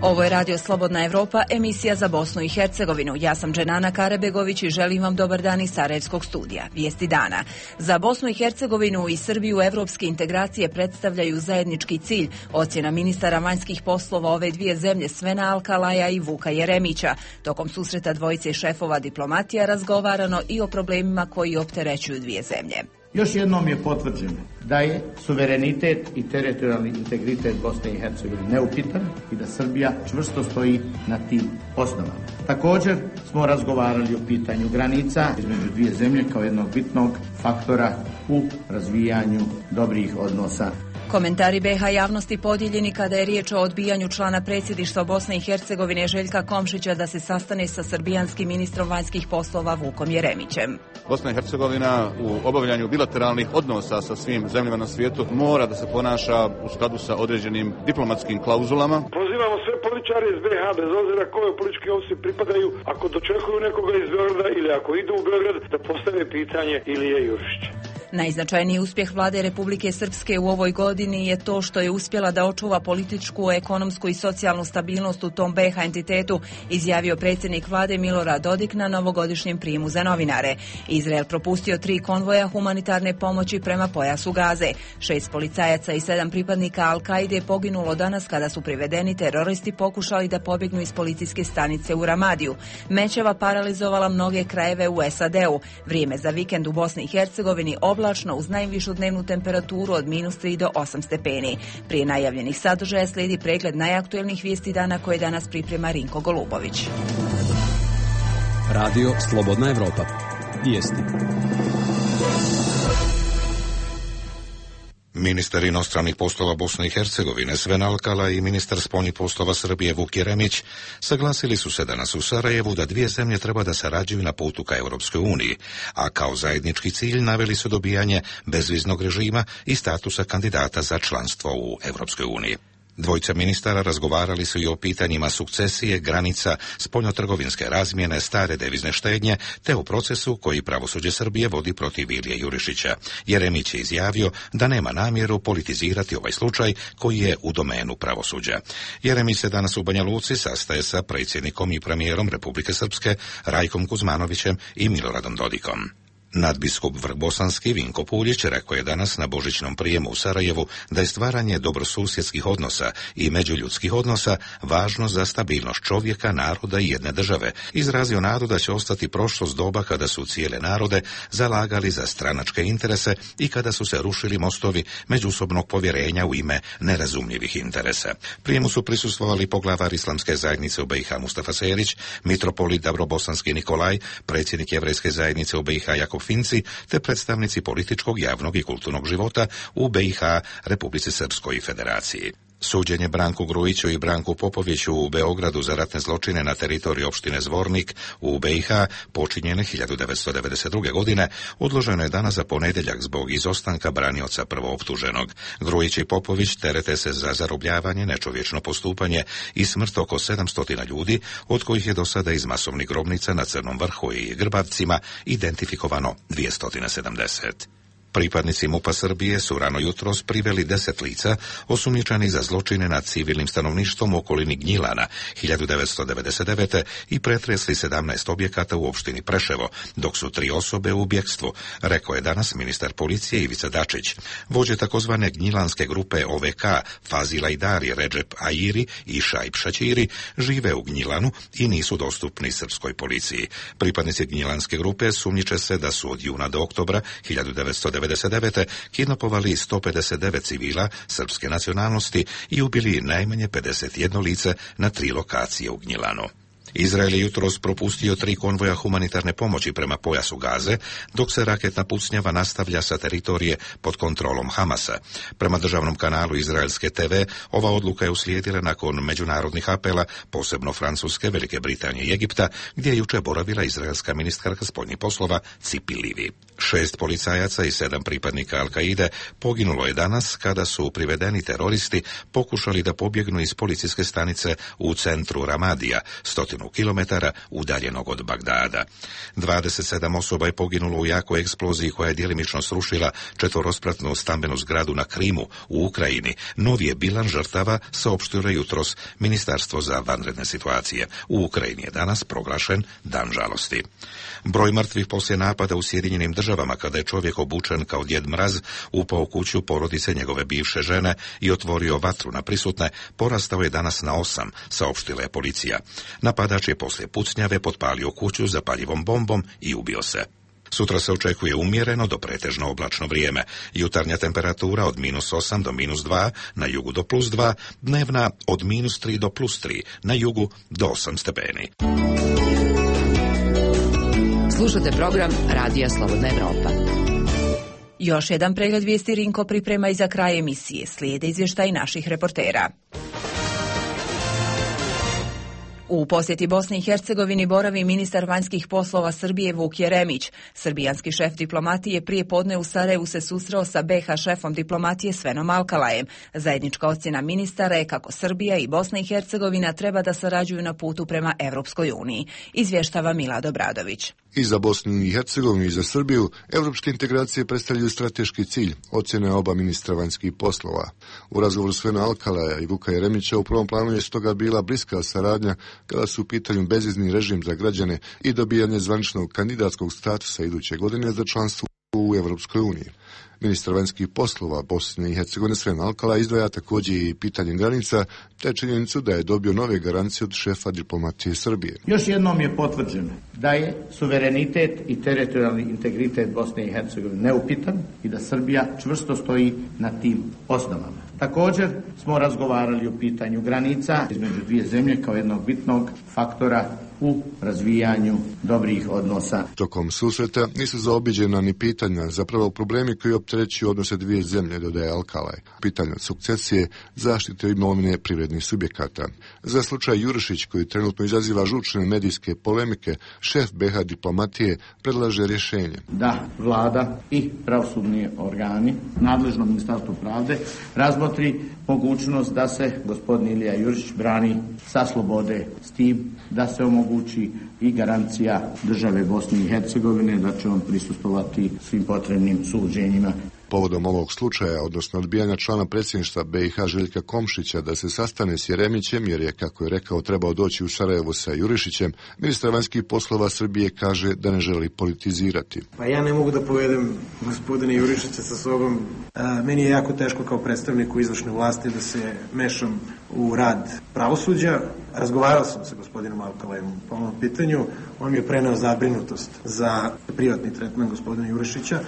Ovo je Radio Slobodna Evropa, emisija za Bosnu i Hercegovinu. Ja sam Dženana Karebegović i želim vam dobar dan iz Sarajevskog studija. Vijesti dana. Za Bosnu i Hercegovinu i Srbiju evropske integracije predstavljaju zajednički cilj, ocjena ministara vanjskih poslova ove dvije zemlje Svena Alkalaja i Vuka Jeremića. Tokom susreta dvojice šefova diplomatija razgovarano i o problemima koji opterećuju dvije zemlje. Još jednom je potvrđeno da je suverenitet i teritorijalni integritet Bosne i Hercegovine neupitan i da Srbija čvrsto stoji na tim osnovama. Također smo razgovarali o pitanju granica između dvije zemlje kao jednog bitnog faktora u razvijanju dobrih odnosa. Komentari BiH javnosti podijeljeni kada je riječ o odbijanju člana predsjedništva Bosne i Hercegovine Željka Komšića da se sastane sa srbijanskim ministrom vanjskih poslova Vukom Jeremićem. Bosna i Hercegovina u obavljanju bilateralnih odnosa sa svim zemljama na svijetu mora da se ponaša u skladu sa određenim diplomatskim klauzulama. Pozivamo sve političare iz BiH, bez obzira koje političke opcije pripadaju, ako dočekuju nekoga iz Beograda ili ako idu u Beograd, da postave pitanje Ilije Jurišića. Najznačajniji uspjeh vlade Republike Srpske u ovoj godini je to što je uspjela da očuva političku, ekonomsku i socijalnu stabilnost u tom BiH entitetu, izjavio predsjednik vlade Milorad Dodik na novogodišnjem prijemu za novinare. Izrael propustio 3 konvoja humanitarne pomoći prema pojasu Gaze. 6 policajaca i 7 pripadnika Al-Kaide poginulo danas kada su privedeni teroristi pokušali da pobjegnu iz policijske stanice u Ramadiju. Mećava paralizovala mnoge krajeve u SAD-u. Vrijeme za vikend u Bosni i Hercegovini oblačno uz najvišu dnevnu temperaturu od -3 do 8 stepeni. Prije najavljenih sadržaja slijedi pregled najaktuelnijih vijesti dana koje danas priprema Rinko Golubović. Radio Slobodna Evropa. Vijesti. Ministar inostranih poslova Bosne i Hercegovine Sven Alkala i ministar spoljnih poslova Srbije Vuk Jeremić saglasili su se danas u Sarajevu da dvije zemlje treba da sarađuju na putu ka Europskoj uniji, a kao zajednički cilj naveli su dobijanje bezviznog režima i statusa kandidata za članstvo u Europskoj uniji. Dvojica ministara razgovarali su i o pitanjima sukcesije, granica, spoljnotrgovinske razmjene, stare devizne štednje, te o procesu koji pravosuđe Srbije vodi protiv Ilije Jurišića. Jeremić je izjavio da nema namjeru politizirati ovaj slučaj koji je u domenu pravosuđa. Jeremić se danas u Banja Luci sastaje sa predsjednikom i premijerom Republike Srpske Rajkom Kuzmanovićem i Miloradom Dodikom. Nadbiskup Vrhbosanski Vinko Puljić rekao je danas na božićnom prijemu u Sarajevu da je stvaranje dobrosusjedskih odnosa i međuljudskih odnosa važno za stabilnost čovjeka, naroda i jedne države. Izrazio nadu da će ostati prošlost doba kada su cijele narode zalagali za stranačke interese i kada su se rušili mostovi međusobnog povjerenja u ime nerazumljivih interesa. Prijemu su prisustvovali poglavar Islamske zajednice u BiH Mustafa Serić, mitropolit Dabrobosanski Nikolaj, predsjednik Jevrejske zajednice u BiH Jakov Finci, te predstavnici političkog, javnog i kulturnog života u BiH, Republici Srpskoj i Federaciji. Suđenje Branku Grujiću i Branku Popoviću u Beogradu za ratne zločine na teritoriji opštine Zvornik u BiH počinjene 1992. godine odloženo je danas za ponedjeljak zbog izostanka branioca prvooptuženog. Grujić i Popović terete se za zarobljavanje, nečovječno postupanje i smrt oko 700 ljudi, od kojih je do sada iz masovnih grobnica na Crnom vrhu i Grbavcima identifikovano 270. Pripadnici MUP-a Srbije su rano jutros priveli 10 lica osumnjičenih za zločine nad civilnim stanovništvom u okolini Gnjilana 1999. i pretresli 17 objekata u opštini Preševo, dok su 3 osobe u bjekstvu, rekao je danas ministar policije Ivica Dačić. Vođe takozvane gnjilanske grupe OVK Fazila Idari, Redžep Airi i Šajb Šaćiri žive u Gnjilanu i nisu dostupni srpskoj policiji. Pripadnici gnjilanske grupe sumnjiče se da su od juna do oktobra 1999. kidnapovali 159 civila srpske nacionalnosti i ubili najmanje 51 lice na 3 lokacije u Gnjilanu. Izrael je jutros propustio 3 konvoja humanitarne pomoći prema pojasu Gaze, dok se raketna pucnjava nastavlja sa teritorije pod kontrolom Hamasa. Prema državnom kanalu izraelske TV, ova odluka je uslijedila nakon međunarodnih apela, posebno Francuske, Velike Britanije i Egipta, gdje je juče boravila izraelska ministarka spoljnih poslova Cipi Livi. 6 policajaca i 7 pripadnika Al-Kaide poginulo je danas kada su privedeni teroristi pokušali da pobjegnu iz policijske stanice u centru Ramadija, 100 100 kilometara udaljenog od Bagdada. 27 osoba je poginulo u jakoj eksploziji koja je djelimično srušila četvorospratnu stambenu zgradu na Krimu u Ukrajini. Novi je bilan žrtava saopštilo jutros Ministarstvo za vanredne situacije. U Ukrajini je danas proglašen dan žalosti. Broj mrtvih poslije napada u Sjedinjenim Državama kada je čovjek obučen kao Djed Mraz upao u kuću porodice njegove bivše žene i otvorio vatru na prisutne, porastao je danas na 8, saopštila je policija. Napadač je poslije pucnjave potpalio kuću zapaljivom bombom i ubio se. Sutra se očekuje umjereno do pretežno oblačno vrijeme. Jutarnja temperatura od -8 do -2, na jugu do +2, dnevna od -3 do +3, na jugu do 8 stepeni. Slušate program Radija Slobodna Evropa. Još jedan pregled vijesti Rinko priprema i za kraj emisije. Slijede izvještaj naših reportera. U posjeti Bosni i Hercegovini boravi ministar vanjskih poslova Srbije Vuk Jeremić. Srbijanski šef diplomatije prije podne u Sarajevu se susreo sa BiH šefom diplomatije Svenom Alkalajem. Zajednička ocjena ministara je kako Srbija i Bosna i Hercegovina treba da sarađuju na putu prema Evropskoj uniji. Izvještava Milad Obradović. I za Bosnu i Hercegovinu i za Srbiju evropske integracije predstavljaju strateški cilj, ocjene oba ministra vanjskih poslova. U razgovoru Svena Alkalaja i Vuka Jeremića u prvom planu je stoga bila bliska saradnja kada su u pitanju bezvizni režim za građane i dobijanje zvaničnog kandidatskog statusa iduće godine za članstvo u Evropskoj uniji. Ministar vanjskih poslova Bosne i Hercegovine Sven Alkalaj izdvaja također i pitanje granica, te činjenicu da je dobio nove garancije od šefa diplomatije Srbije. Još jednom je potvrđeno da je suverenitet i teritorijalni integritet Bosne i Hercegovine neupitan i da Srbija čvrsto stoji na tim osnovama. Također smo razgovarali o pitanju granica između dvije zemlje kao jednog bitnog faktora u razvijanju dobrih odnosa. Tokom susreta nisu zaobiđena ni pitanja, zapravo problemi koji opterećuju odnose dvije zemlje, dodaje Alkalaj. Pitanja sukcesije, zaštite imovine privrednih subjekata. Za slučaj Jurišić, koji trenutno izaziva žučne medijske polemike, šef BiH diplomatije predlaže rješenje. Da vlada i pravosudni organi, nadležno Ministarstvo pravde, razmotri mogućnost da se gospodin Ilija Jurišić brani sa slobode, s tim da se omogući i garancija države Bosne i Hercegovine da će on prisustvovati svim potrebnim suđenjima. Povodom ovog slučaja, odnosno odbijanja člana predsjedništva BiH Željka Komšića da se sastane s Jeremićem, jer je, kako je rekao, trebao doći u Sarajevo sa Jurišićem, ministar vanjskih poslova Srbije kaže da ne želi politizirati. Pa ja ne mogu da povedem gospodine Jurišića sa sobom. Meni je jako teško kao predstavniku izvršne vlasti da se mešam u rad pravosuđa. Razgovarao sam sa gospodinom Alkalajem po ovom pitanju. On mi je preneo zabrinutost za privatni tretman gospodina Jurišića.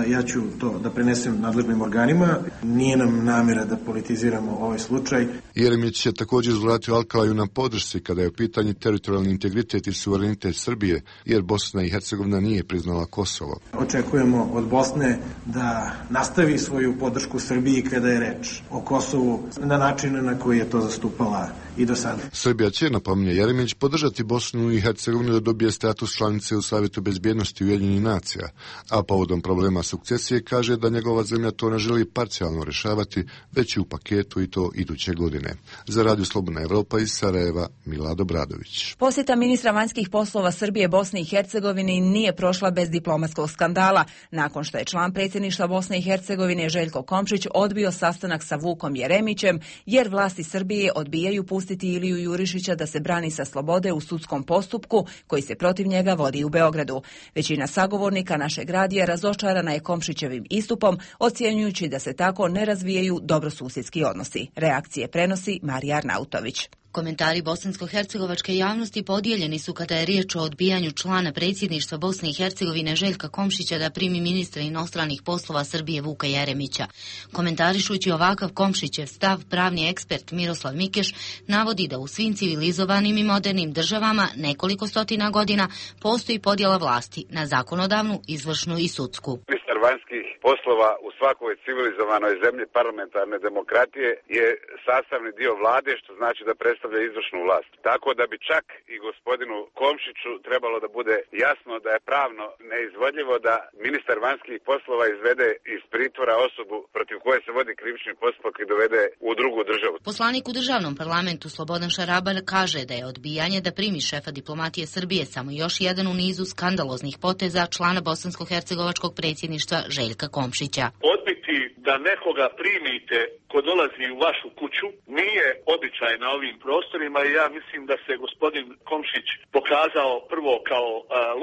Ja ću to da prenesem nadležnim organima. Nije nam namjera da politiziramo ovaj slučaj. Jeremić je također uzvratio Alkalaju na podršci kada je u pitanju teritorijalni integritet i suverenitet Srbije, jer Bosna i Hercegovina nije priznala Kosovo. Očekujemo od Bosne da nastavi svoju podršku Srbiji kada je reč o Kosovu na način na koji je to zastupala i do sada. Srbija će, napominje Jeremić, podržati Bosnu i Hercegovinu da dobije status članice u Savjetu bezbjednosti Ujedinjenih nacija, a povodom problema sukcesije kaže da njegova zemlja to ne želi parcijalno rješavati, već i u paketu i to iduće godine. Za Radio Slobodna Evropa iz Sarajeva, Milad Obradović. Posjeta ministra vanjskih poslova Srbije Bosne i Hercegovine nije prošla bez diplomatskog skandala, nakon što je član predsjedništva Bosne i Hercegovine Željko Komšić odbio sastanak sa Vukom Jeremićem, jer vlasti Srbije odbijaju pustiti Iliju Jurišića da se brani sa slobode u sudskom postupku koji se protiv njega vodi u Beogradu. Većina sagovornika našeg radija razočarana je Komšićevim istupom, ocjenjujući da se tako ne razvijaju dobrosusjedski odnosi. Reakcije prenosi Marija Arnautović. Komentari bosansko-hercegovačke javnosti podijeljeni su kada je riječ o odbijanju člana predsjedništva Bosne i Hercegovine Željka Komšića da primi ministra inostranih poslova Srbije Vuka Jeremića. Komentarišući ovakav Komšićev stav, pravni ekspert Miroslav Mikeš navodi da u svim civilizovanim i modernim državama nekoliko stotina godina postoji podjela vlasti na zakonodavnu, izvršnu i sudsku. Ministar vanjskih poslova u svakoj civilizovanoj zemlji parlamentarne demokratije je sastavni dio vlade, što znači da predstavlja izvršnu vlast. Tako da bi čak i gospodinu Komšiću trebalo da bude jasno da je pravno neizvodljivo da ministar vanjskih poslova izvede iz pritvora osobu protiv koje se vodi krivični postupak i dovede u drugu državu. Poslanik u državnom parlamentu Slobodan Šarabar kaže da je odbijanje da primi šefa diplomatije Srbije samo još jedan u nizu skandaloznih poteza člana bosansko-hercegovačkog predsjedništva Željka Komšića. Odbiti da nekoga primite ko dolazi u vašu kuću nije običaj na ovim prostorima i ja mislim da se gospodin Komšić pokazao prvo kao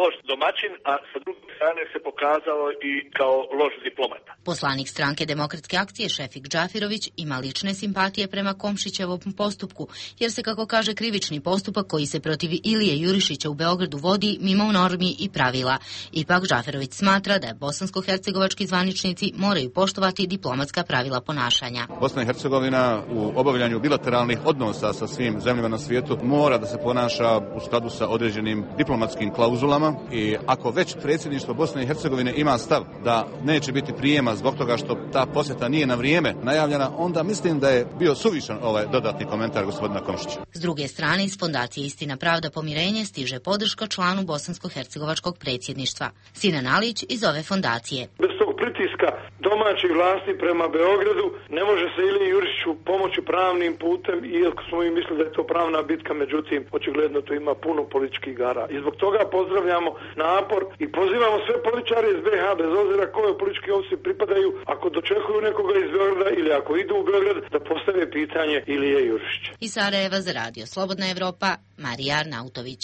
loš domaćin, a sa druge strane se pokazao i kao loš diplomata. Poslanik stranke Demokratske akcije Šefik Džafirović ima lične simpatije prema Komšićevom postupku, jer se, kako kaže, krivični postupak koji se protiv Ilije Jurišića u Beogradu vodi mimo normi i pravila. Ipak Džafirović smatra da bosansko-hercegovački zvaničnici moraju poštovati diplomatska pravila ponašanja. Bosna i Hercegovina u obavljanju bilateralnih odnosa sa svim zemljama na svijetu mora da se ponaša u skladu sa određenim diplomatskim klauzulama i ako već predsjedništvo Bosne i Hercegovine ima stav da neće biti prijema zbog toga što ta posjeta nije na vrijeme najavljena, onda mislim da je bio suvišan ovaj dodatni komentar gospodina Komšića. S druge strane, iz Fondacije Istina, pravda, pomirenje stiže podrška članu bosansko-hercegovačkog predsjedništva. Sinan Alić iz ove fondacije. Bez tog pritiska domaćih vlasti prema Beogradu ne može se Iliji Jurišiću pomoći pravnim putem, iako smo mi mislili da je to pravna bitka, međutim očigledno tu ima puno političkih igara. I zbog toga pozdravljamo napor i pozivamo sve političare iz BiH, bez obzira koje političke opcije pripadaju, ako dočekuju nekoga iz Beograda ili ako idu u Beograd, da postave pitanje Ilije Jurišića. Iz Sarajeva za radio Slobodna Evropa, Marija Arnautović.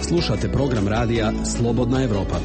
Slušate program radija Slobodna Evropa.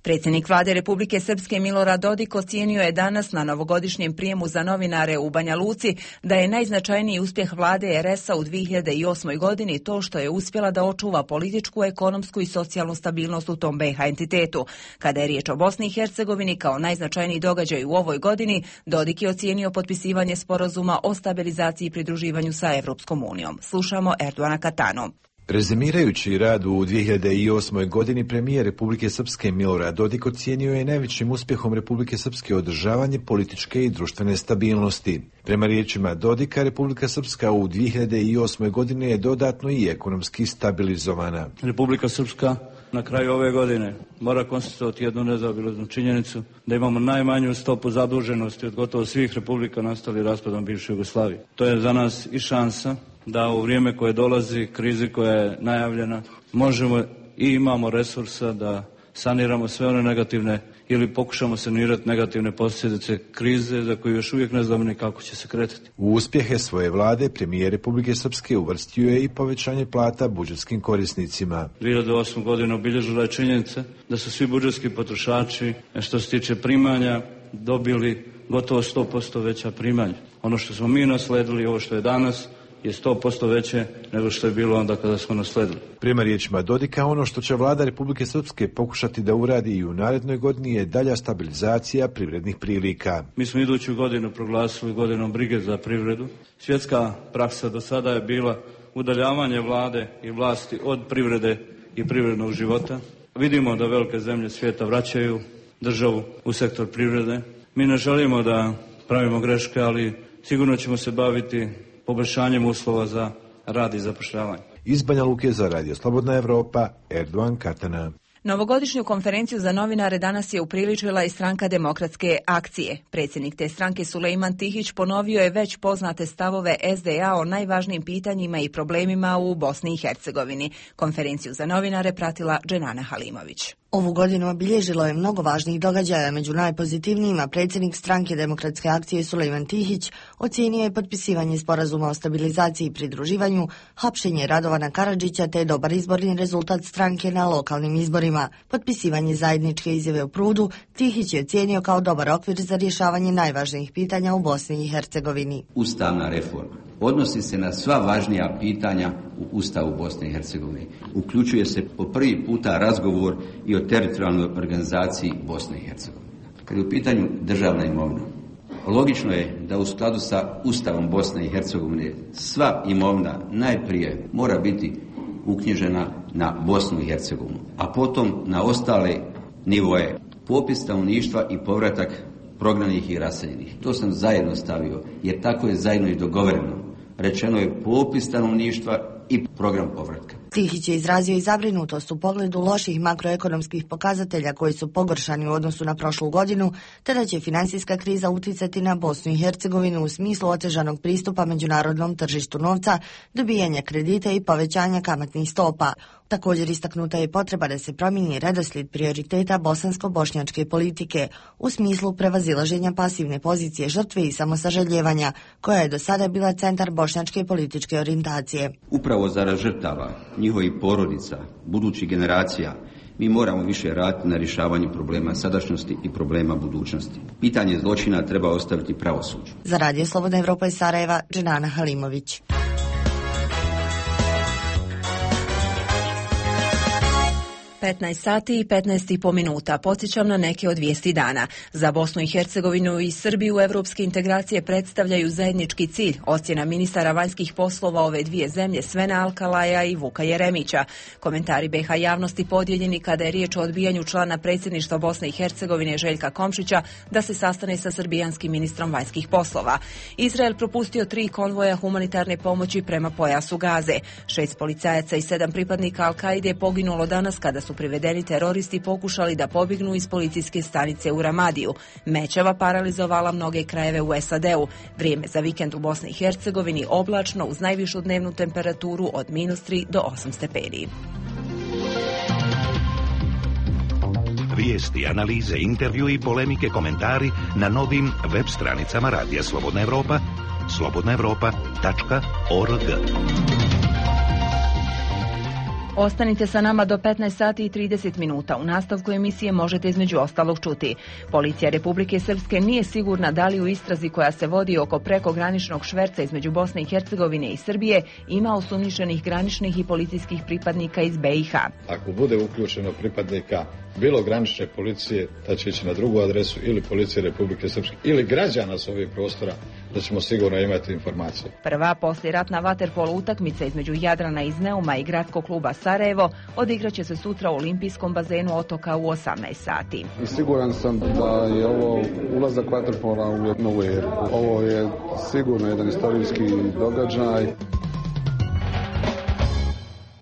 Predsjednik vlade Republike Srpske Milorad Dodik ocijenio je danas na novogodišnjem prijemu za novinare u Banja Luci da je najznačajniji uspjeh vlade RS-a u 2008. godini to što je uspjela da očuva političku, ekonomsku i socijalnu stabilnost u tom BiH entitetu. Kada je riječ o Bosni i Hercegovini kao najznačajniji događaj u ovoj godini, Dodik je ocijenio potpisivanje sporazuma o stabilizaciji i pridruživanju sa Evropskom unijom. Slušamo Erdoana Katano. Rezimirajući rad u 2008. godini, premijer Republike Srpske Milorad Dodik ocijenio je najvećim uspjehom Republike Srpske održavanje političke i društvene stabilnosti. Prema riječima Dodika, Republika Srpska u 2008. godini je dodatno i ekonomski stabilizovana. Republika Srpska na kraju ove godine mora konstatovati jednu nezaobilaznu činjenicu da imamo najmanju stopu zaduženosti od gotovo svih republika nastali raspadom bivše Jugoslavije. To je za nas i šansa da u vrijeme koje dolazi, krizi koja je najavljena, možemo i imamo resursa da saniramo sve one negativne ili pokušamo sanirati negativne posljedice krize za koju još uvijek ne znamo ni kako će se kretati. U uspjehe svoje vlade premijer Republike Srpske uvrstio je i povećanje plata budžetskim korisnicima. 2008. godinu obilježila je činjenica da su svi budžetski potrošači, što se tiče primanja, dobili gotovo 100% veća primanja. Ono što smo mi nasledili, ovo što je danas, je 100% veće nego što je bilo onda kada smo nasledili. Prema riječima Dodika, ono što će vlada Republike Srpske pokušati da uradi i u narednoj godini je dalja stabilizacija privrednih prilika. Mi smo iduću godinu proglasili godinom brige za privredu. Svjetska praksa do sada je bila udaljavanje vlade i vlasti od privrede i privrednog života. Vidimo da velike zemlje svijeta vraćaju državu u sektor privrede. Mi ne želimo da pravimo greške, ali sigurno ćemo se baviti poboljšanjem uslova za rad i zapošljavanje. Iz Banja Luke za radio Slobodna Evropa, Erdoan Katana. Novogodišnju konferenciju za novinare danas je upriličila i stranka Demokratske akcije. Predsjednik te stranke Sulejman Tihić ponovio je već poznate stavove SDA o najvažnijim pitanjima i problemima u Bosni i Hercegovini. Konferenciju za novinare pratila Dženana Halimović. Ovu godinu obilježilo je mnogo važnih događaja, među najpozitivnijima predsjednik stranke Demokratske akcije Sulejman Tihić ocijenio je potpisivanje sporazuma o stabilizaciji i pridruživanju, hapšenje Radovana Karadžića te dobar izborni rezultat stranke na lokalnim izborima. Potpisivanje zajedničke izjave u Prudu Tihić je ocijenio kao dobar okvir za rješavanje najvažnijih pitanja u Bosni i Hercegovini. Ustavna reforma odnosi se na sva važnija pitanja u Ustavu Bosne i Hercegovine. Uključuje se po prvi puta razgovor i o teritorijalnoj organizaciji Bosne i Hercegovine. Kad je u pitanju državna imovina, logično je da u skladu sa Ustavom Bosne i Hercegovine sva imovina najprije mora biti uknjižena na Bosnu i Hercegovinu, a potom na ostale nivoje. Popis stanovništva i povratak prognanih i raseljenih. To sam zajedno stavio, jer tako je zajedno i dogovoreno. Rečeno je popis stanovništva i program povratka. Tihić je izrazio i zabrinutost u pogledu loših makroekonomskih pokazatelja koji su pogoršani u odnosu na prošlu godinu, te da će finansijska kriza uticati na Bosnu i Hercegovinu u smislu otežanog pristupa međunarodnom tržištu novca, dobijanja kredita i povećanja kamatnih stopa. Također istaknuta je potreba da se promijeni redoslijed prioriteta bosansko-bošnjačke politike u smislu prevazilaženja pasivne pozicije žrtve i samosaželjevanja, koja je do sada bila centar bošnjačke političke orijentacije. Upravo zarad žrtava, njihovih porodica, budućih generacija, mi moramo više raditi na rješavanju problema sadašnjosti i problema budućnosti. Pitanje zločina treba ostaviti pravosuđu. Za Radio Slobodna Evropa iz Sarajeva, Dženana Halimović. 15 sati i 15,5 minuta. Podsjećam na neke od vijesti dana. Za Bosnu i Hercegovinu i Srbiju evropske integracije predstavljaju zajednički cilj, ocjena ministara vanjskih poslova ove dvije zemlje Svena Alkalaja i Vuka Jeremića. Komentari BiH javnosti podijeljeni kada je riječ o odbijanju člana predsjedništva Bosne i Hercegovine Željka Komšića da se sastane sa srbijanskim ministrom vanjskih poslova. Izrael propustio 3 konvoja humanitarne pomoći prema pojasu Gaze. 6 policajaca i 7 pripadnika Al-Kaide je poginulo danas kada su privedeni teroristi pokušali da pobjegnu iz policijske stanice u Ramadiju. Mećava paralizovala mnoge krajeve u SAD-u. Vrijeme za vikend u Bosni i Hercegovini oblačno uz najvišu dnevnu temperaturu od -3 do 8 stepeni. Vijesti, analize, intervju i polemike, komentari na novim web stranicama Radija Slobodna Evropa, slobodnaevropa.org. Ostanite sa nama do 15 sati i 30 minuta. U nastavku emisije možete između ostalog čuti. Policija Republike Srpske nije sigurna da li u istrazi koja se vodi oko prekograničnog šverca između Bosne i Hercegovine i Srbije ima osumnjičenih graničnih i policijskih pripadnika iz BiH. Ako bude uključeno pripadnika bilo granične policije, da će ići na drugu adresu ili policije Republike Srpske ili građana s ovih prostora, da ćemo sigurno imati informacije. Prva poslijeratna vaterpolo utakmica između Jadrana iz Neuma i gradskog kluba Sarajevo odigraće se sutra u olimpijskom bazenu Otoka u 18 sati. I siguran sam da je ovo ulazak vaterpola u novu eru. Ovo je sigurno jedan istorijski događaj.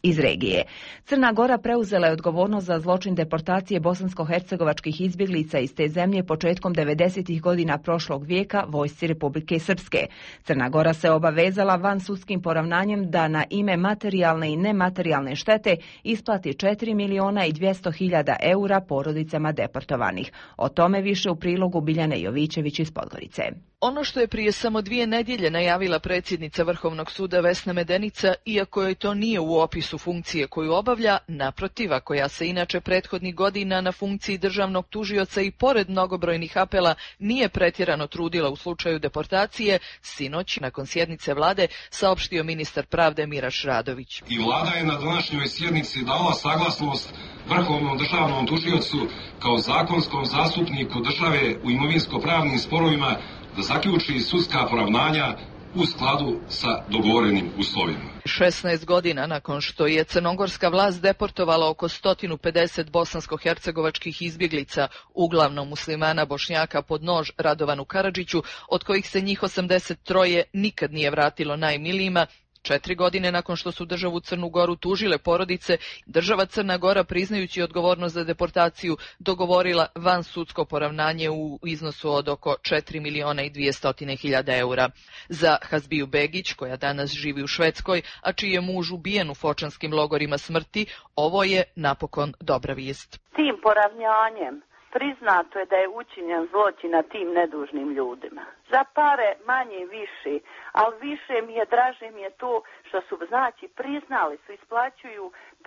Iz regije. Crna Gora preuzela je odgovornost za zločin deportacije bosansko-hercegovačkih izbjeglica iz te zemlje početkom 90. godina prošlog vijeka vojsci Republike Srpske. Crna Gora se obavezala vansudskim poravnanjem da na ime materijalne i nematerijalne štete isplati 4.200.000 eura porodicama deportovanih. O tome više u prilogu Biljane Jovićević iz Podgorice. Ono što je prije samo 2 nedjelje najavila predsjednica Vrhovnog suda Vesna Medenica, iako joj to nije u opisu funkcije koju obavlja, naprotiv, a koja se inače prethodnih godina na funkciji državnog tužioca i pored mnogobrojnih apela nije pretjerano trudila u slučaju deportacije, sinoć, nakon sjednice vlade, saopštio ministar pravde Miraš Radović. I vlada je na današnjoj sjednici dala saglasnost Vrhovnom državnom tužiocu kao zakonskom zastupniku države u imovinsko-pravnim sporovima da zaključi sudska poravnanja u skladu sa dogovorenim uslovima. 16 godina nakon što je crnogorska vlast deportovala oko 150 bosansko-hercegovačkih izbjeglica, uglavnom muslimana Bošnjaka pod nož Radovanu Karadžiću, od kojih se njih 83 nikad nije vratilo najmilijima, 4 godine nakon što su državu Crnu Goru tužile porodice, država Crna Gora, priznajući odgovornost za deportaciju, dogovorila vansudsko poravnanje u iznosu od oko 4.200.000 eura. Za Hazbiju Begić, koja danas živi u Švedskoj, a čiji je muž ubijen u fočanskim logorima smrti, ovo je napokon dobra vijest. Tim poravnjanjem priznato je da je učinjen zločin na tim nedužnim ljudima. Za pare manje i više, ali više mi je, draže mi je to što su, znači, priznali su,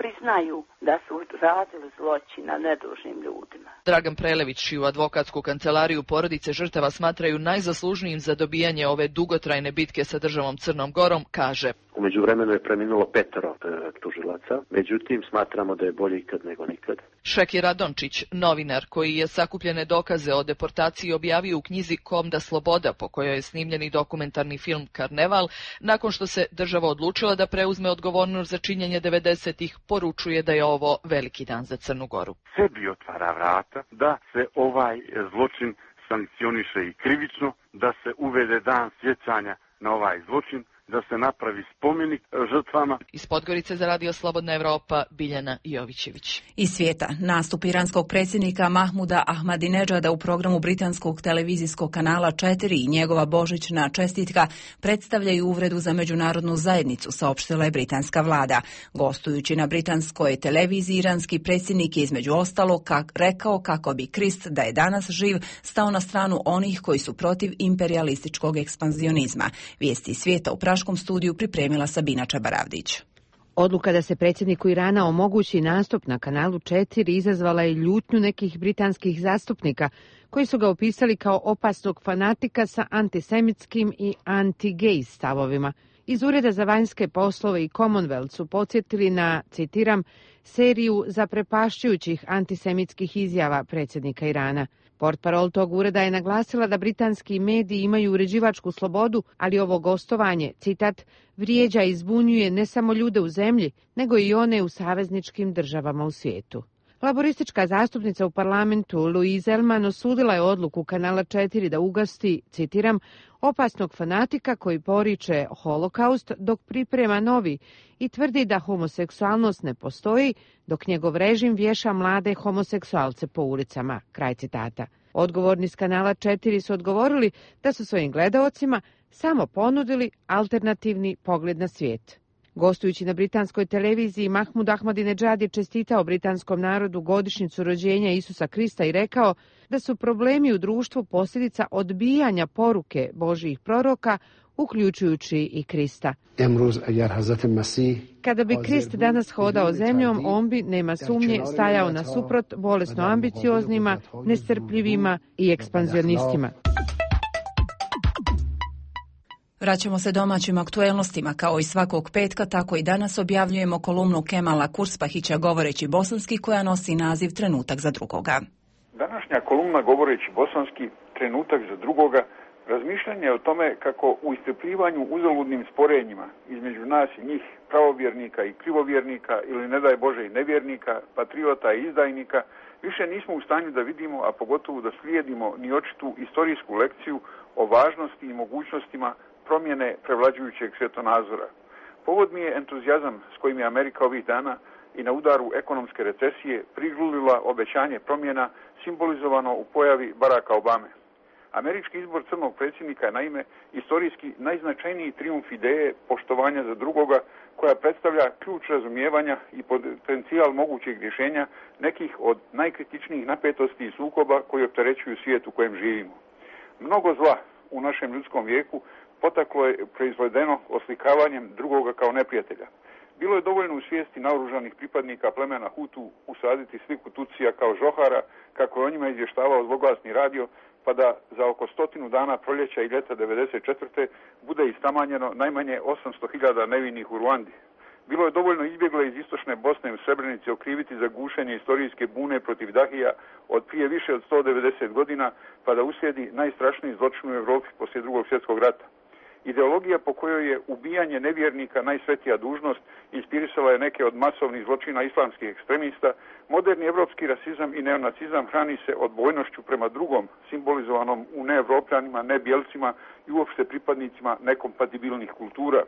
priznaju da su radili zločin na nedužnim ljudima. Dragan Prelević, čiju advokatsku kancelariju porodice žrtava smatraju najzaslužnijim za dobijanje ove dugotrajne bitke sa državom Crnom Gorom, kaže: U međuvremenu je preminulo 5 tužilaca, međutim smatramo da je bolje ikad nego nikad. Šekir Radončić, novinar koji je sakupljene dokaze o deportaciji objavio u knjizi Kom da sloboda, metoda po kojoj je snimljeni dokumentarni film Karneval, nakon što se država odlučila da preuzme odgovornost za činjenje 90-ih, poručuje da je ovo veliki dan za Crnu Goru. Sebi otvara vrata da se ovaj zločin sankcioniše i krivično, da se uvede dan sjećanja na ovaj zločin, da se napravi spomenik žrtvama. Iz Podgorice za Radio Slobodna Evropa, Biljana Jovićević. Iz svijeta, nastup iranskog predsjednika Mahmuda Ahmadinedžada u programu britanskog televizijskog kanala 4 i njegova božićna čestitka predstavljaju uvredu za međunarodnu zajednicu, saopštila je britanska vlada. Gostujući na britanskoj televiziji, iranski predsjednik je između ostalog rekao kako bi Krist, da je danas živ, stao na stranu onih koji su protiv imperialističkog ekspanzionizma. Vijesti svijeta u Praškom studiju pripremila Sabina Čabaravdić. Odluka da se predsjedniku Irana omogući nastup na kanalu 4 izazvala je ljutnju nekih britanskih zastupnika koji su ga opisali kao opasnog fanatika sa antisemitskim i anti-gej stavovima. Iz Ureda za vanjske poslove i Commonwealth su podsjetili na, citiram, seriju zaprepašćujućih antisemitskih izjava predsjednika Irana. Portparol tog ureda je naglasila da britanski mediji imaju uređivačku slobodu, ali ovo gostovanje, citat, vrijeđa i zbunjuje ne samo ljude u zemlji, nego i one u savezničkim državama u svijetu. Laboristička zastupnica u parlamentu Louise Elman osudila je odluku kanala 4 da ugasti, citiram, opasnog fanatika koji poriče holokaust dok priprema novi i tvrdi da homoseksualnost ne postoji dok njegov režim vješa mlade homoseksualce po ulicama, kraj citata. Odgovorni s kanala 4 su odgovorili da su svojim gledaocima samo ponudili alternativni pogled na svijet. Gostujući na britanskoj televiziji, Mahmud Ahmadinedžad je čestitao britanskom narodu godišnjicu rođenja Isusa Krista i rekao da su problemi u društvu posljedica odbijanja poruke Božjih proroka, uključujući i Krista. Kada bi Krist danas hodao zemljom, on bi, nema sumnje, stajao nasuprot bolesno ambicioznima, nestrpljivima i ekspanzionistima. Vraćamo se domaćim aktuelnostima. Kao i svakog petka, tako i danas objavljujemo kolumnu Kemala Kurspahića govoreći bosanski, koja nosi naziv Trenutak za drugoga. Današnja kolumna govoreći bosanski Trenutak za drugoga razmišljanje o tome kako u iscrpljivanju uzaludnim sporenjima između nas i njih, pravovjernika i krivovjernika ili ne daj Bože i nevjernika, patriota i izdajnika, više nismo u stanju da vidimo, a pogotovo da slijedimo ni očitu istorijsku lekciju o važnosti i mogućnostima promjene prevlađujućeg svjetonazora. Povod mi je entuzijazam s kojim je Amerika ovih dana i na udaru ekonomske recesije prigrlila obećanje promjena simbolizovano u pojavi Baracka Obame. Američki izbor crnog predsjednika je naime istorijski najznačajniji trijumf ideje poštovanja za drugoga, koja predstavlja ključ razumijevanja i potencijal mogućeg rješenja nekih od najkritičnijih napetosti i sukoba koji opterećuju svijet u kojem živimo. Mnogo zla u našem ljudskom vijeku potaklo je proizvedeno oslikavanjem drugoga kao neprijatelja. Bilo je dovoljno u svijesti naoružanih pripadnika plemena Hutu usaditi sliku Tutsija kao žohara, kako je o njima izvještavao zloglasni radio, pa da za oko 100 dana proljeća i ljeta 1994. bude istamanjeno najmanje 800.000 nevinih u Ruandi. Bilo je dovoljno izbjegle iz istočne Bosne u Srebrenici okriviti za gušenje istorijske bune protiv Dahija od prije više od 190 godina, pa da uslijedi najstrašniji zločin u Europi poslije Drugog svjetskog rata. Ideologija po kojoj je ubijanje nevjernika najsvetija dužnost inspirisala je neke od masovnih zločina islamskih ekstremista. Moderni evropski rasizam i neonacizam hrani se odbojnošću prema drugom, simbolizovanom u neevropljanima, nebjelcima i uopšte pripadnicima nekompatibilnih kultura.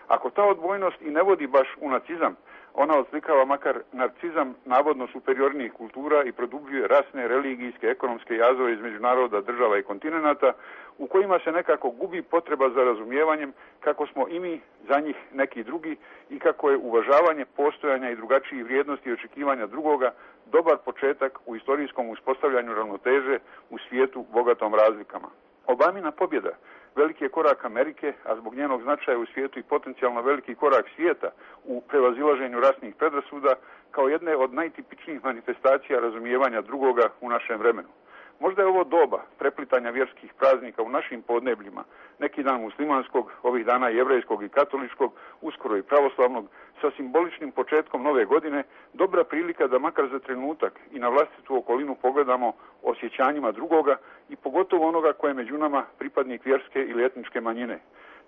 Ako ta odbojnost i ne vodi baš u nacizam, ona odslikava makar narcizam navodno superiornijih kultura i produbljuje rasne, religijske, ekonomske jazove između naroda, država i kontinenata, u kojima se nekako gubi potreba za razumijevanjem kako smo i mi za njih neki drugi i kako je uvažavanje postojanja i drugačijih vrijednosti i očekivanja drugoga dobar početak u istorijskom uspostavljanju ravnoteže u svijetu bogatom razlikama. Obamina pobjeda veliki je korak Amerike, a zbog njenog značaja u svijetu i potencijalno veliki korak svijeta u prevazilaženju rasnih predrasuda kao jedne od najtipičnijih manifestacija razumijevanja drugoga u našem vremenu. Možda je ovo doba preplitanja vjerskih praznika u našim podnebljima, neki dan muslimanskog, ovih dana jevrejskog i katoličkog, uskoro i pravoslavnog, sa simboličnim početkom nove godine dobra prilika da makar za trenutak i na vlastitu okolinu pogledamo osjećanjima drugoga i pogotovo onoga koje je među nama pripadnik vjerske ili etničke manjine.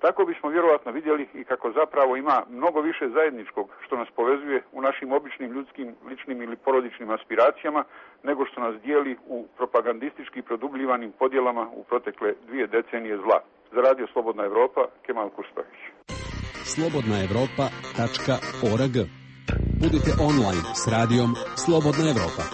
Tako bismo vjerovatno vidjeli i kako zapravo ima mnogo više zajedničkog što nas povezuje u našim običnim ljudskim, ličnim ili porodičnim aspiracijama nego što nas dijeli u propagandistički produbljivanim podjelama u protekle 2 decenije zla. Za Radio Slobodna Evropa, Kemal Kurstavić. slobodnaevropa.org. Budite online s radijom Slobodna Evropa.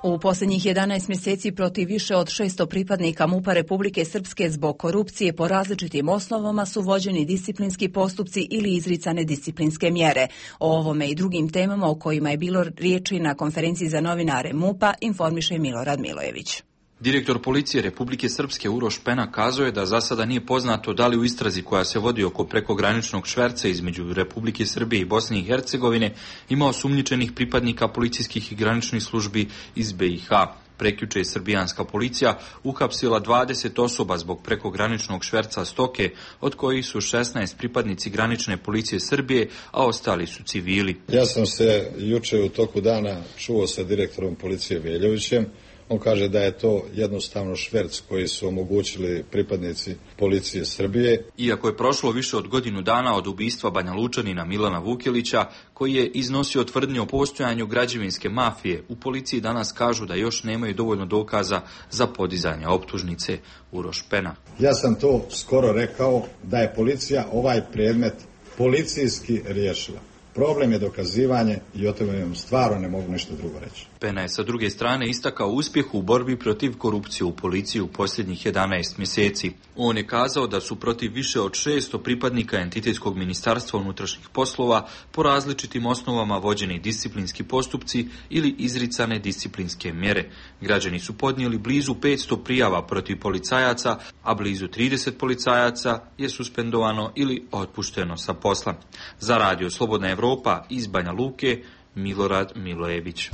U posljednjih 11 mjeseci protiv više od 600 pripadnika MUP-a Republike Srpske zbog korupcije po različitim osnovama su vođeni disciplinski postupci ili izricane disciplinske mjere. O ovome i drugim temama o kojima je bilo riječi na konferenciji za novinare MUP-a informiše Milorad Milojević. Direktor policije Republike Srpske Uroš Pena kazao je da za sada nije poznato da li u istrazi koja se vodi oko prekograničnog šverca između Republike Srbije i Bosne i Hercegovine ima osumnjičenih pripadnika policijskih i graničnih službi iz BiH. Prekjuče je srbijanska policija uhapsila 20 osoba zbog prekograničnog šverca stoke, od kojih su 16 pripadnici granične policije Srbije, a ostali su civili. Ja sam se juče u toku dana čuo sa direktorom policije Veljovićem. On kaže da je to jednostavno šverc koji su omogućili pripadnici policije Srbije. Iako je prošlo više od godinu dana od ubistva Banja Lučanina Milana Vukelića, koji je iznosio tvrdnje o postojanju građevinske mafije, u policiji danas kažu da još nemaju dovoljno dokaza za podizanje optužnice. Uroš Pena. Ja sam to skoro rekao da je policija ovaj predmet policijski riješila. Problem je dokazivanje i o tome vam stvarno ne mogu nešto drugo reći. Pena je sa druge strane istakao uspjeh u borbi protiv korupcije u policiji u posljednjih 11 mjeseci. On je kazao da su protiv više od 600 pripadnika Entitetskog ministarstva unutrašnjih poslova po različitim osnovama vođeni disciplinski postupci ili izricane disciplinske mjere. Građani su podnijeli blizu 500 prijava protiv policajaca, a blizu 30 policajaca je suspendovano ili otpušteno sa posla. Za Radio Slobodna Evropa iz Banja Luke, Milorad Milojević.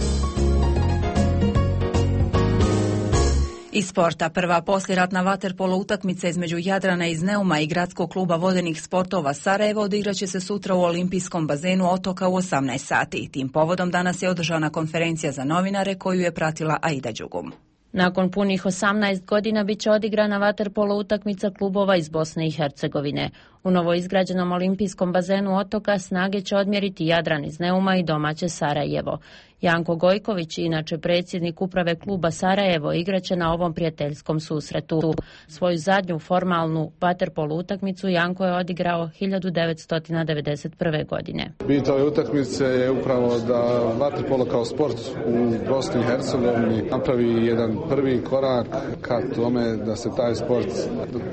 Iz sporta, prva poslijeratna vaterpolo utakmica između Jadrana iz Neuma i Gradskog kluba vodenih sportova Sarajevo odigraće se sutra u olimpijskom bazenu Otoka u 18 sati. Tim povodom danas je održana konferencija za novinare koju je pratila Aida Đugum. Nakon punih 18 godina bit će odigrana vaterpolo utakmica klubova iz Bosne i Hercegovine. U novoizgrađenom olimpijskom bazenu Otoka snage će odmjeriti Jadran iz Neuma i domaće Sarajevo. Janko Gojković, inače predsjednik uprave kluba Sarajevo, igraće na ovom prijateljskom susretu. Svoju zadnju formalnu vaterpolo utakmicu Janko je odigrao 1991. godine. Bit ove utakmice je upravo da vaterpolo kao sport u Bosni i Hercegovini napravi jedan prvi korak ka tome da se taj sport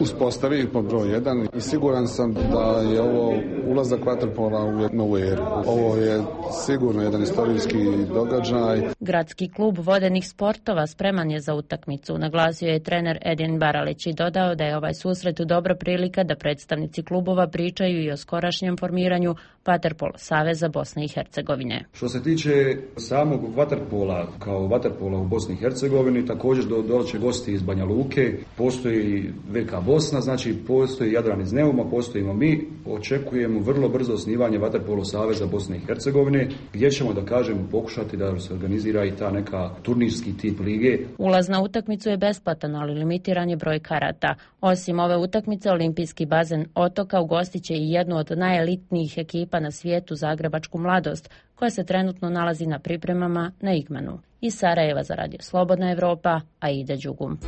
uspostavi pod broj 1 i siguran sam da je ovo ulazak vaterpola u novu eru. Ovo je sigurno jedan istorijski događaj. Gradski klub vodenih sportova spreman je za utakmicu, naglasio je trener Edin Baralić i dodao da je ovaj susret dobra prilika da predstavnici klubova pričaju i o skorašnjem formiranju Vaterpolo saveza Bosne i Hercegovine. Što se tiče samog vaterpola, kao vaterpola u Bosni i Hercegovini, također doće gosti iz Banja Luke, postoji VK Bosna, znači postoji Jadran iz Neuma, postojimo mi, očekujemo vrlo brzo osnivanje Vaterpolo saveza Bosne i Hercegovine, gdje ćemo da kažemo pokušati da se organizira i ta neka turnirski tip lige. Ulaz na utakmicu je besplatan, ali limitiran je broj karata. Osim ove utakmice, olimpijski bazen Otoka ugostit će i jednu od najelitnijih ekipa na svijetu, Zagrebačku Mladost, koja se trenutno nalazi na pripremama na Igmanu. Iz Sarajeva za Radio Slobodna Evropa, Aida Đugum.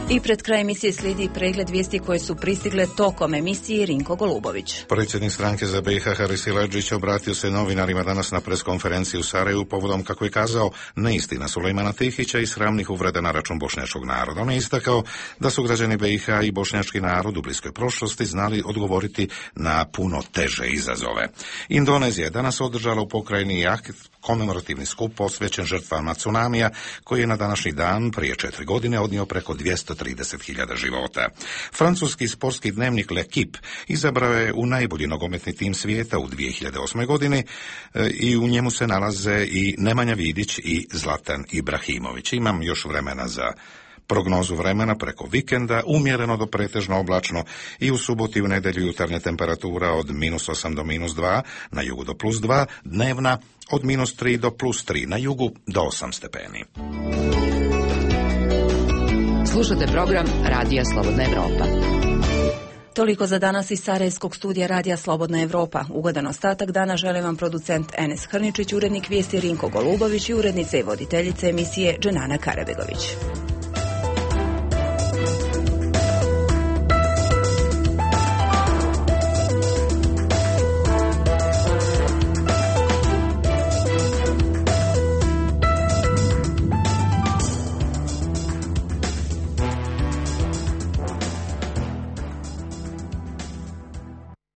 I pred kraj emisije slijedi pregled vijesti koje su pristigle tokom emisije. Rinko Golubović. Predsjednik stranke za BiH Haris Siledžić obratio se novinarima danas na preskonferenciji u Sarajevu povodom, kako je kazao, neistina Sulejmana Tihića i sramnih uvreda na račun bošnjačkog naroda. On je istakao da su građani BiH i bošnjački narod u bliskoj prošlosti znali odgovoriti na puno teže izazove. Indonezija je danas održala u pokrajini Jakit komemorativni skup posvećen žrtvama tsunamija, koji je na današnji dan prije 4 godine odnio preko 230.000 života. Francuski sportski dnevnik L'Equipe izabrao je u najbolji nogometni tim svijeta u 2008. godini i u njemu se nalaze i Nemanja Vidić i Zlatan Ibrahimović. Imam još vremena za Prognozu vremena preko vikenda umjereno do pretežno oblačno i u subotu i u nedjelju jutarnja temperatura od -8 do -2, na jugu do +2, dnevna od -3 do +3, na jugu do 8 stepeni. Slušate program Radija Slobodna Evropa. Toliko za danas iz Sarajevskog studija Radija Slobodna Evropa. Ugodan ostatak dana žele vam producent Enes Hrničić, urednik vijesti Rinko Golubović i urednica i voditeljica emisije Dženana Karabegović.